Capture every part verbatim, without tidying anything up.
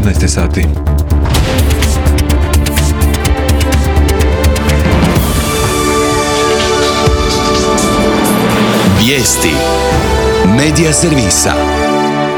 devetnaest sati. Vijesti Medija servisa.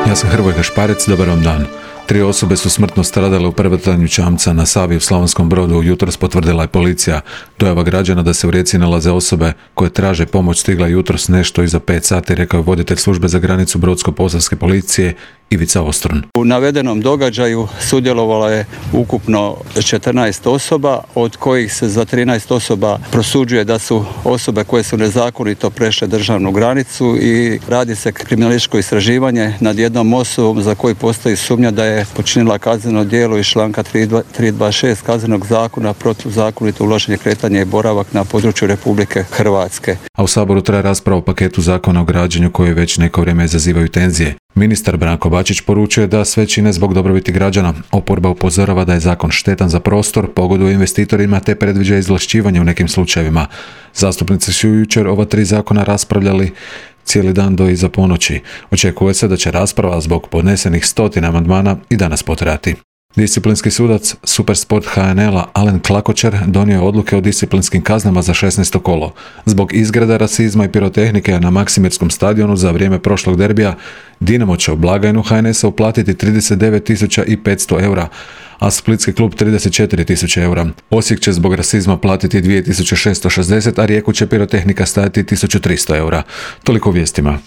Ja sam Hrvoje Gašparec, dobar vam dan. Tri osobe su smrtno stradale u prevrtanju čamca na Savi u Slavonskom Brodu, jutros potvrdila je policija. Dojava građana da se u rijeci nalaze osobe koje traže pomoć stigla jutros nešto iza pet sati, rekao je voditelj službe za granicu Brodsko-posavske policije Ivica Ostrun. U navedenom događaju sudjelovalo je ukupno četrnaest osoba, od kojih se za trinaest osoba prosuđuje da su osobe koje su nezakonito prešle državnu granicu i radi se kriminalističko istraživanje nad jednom osobom za koju postoji sumnja da je počinila kazneno djelo iz članka tristo dvadeset šest Kaznenog zakona protuzakonito unošenje, kretanje i boravak na području Republike Hrvatske. A u Saboru traje rasprava o paketu zakona o građenju koji već neko vrijeme izazivaju tenzije. Ministar Branko Bačić poručuje da sve čine zbog dobrobiti građana. Oporba upozorava da je zakon štetan za prostor, pogoduje investitorima te predviđa izvlašćivanje u nekim slučajevima. Zastupnici su jučer ova tri zakona raspravljali cijeli dan do iza ponoći. Očekuje se da će rasprava zbog podnesenih stotina amandmana i danas potrajati. Disciplinski sudac Supersport ha en el-a Alen Klakočer donio je odluke o disciplinskim kaznama za šesnaesto kolo. Zbog izgreda, rasizma i pirotehnike na Maksimirskom stadionu za vrijeme prošlog derbija, Dinamo će u blagajnu ha en es-a uplatiti trideset devet tisuća petsto eura, a splitski klub trideset četiri tisuće eura. Osijek će zbog rasizma platiti dvije tisuće šesto šezdeset, a Rijeku će pirotehnika stajati tisuću tristo eura. Toliko u vijestima.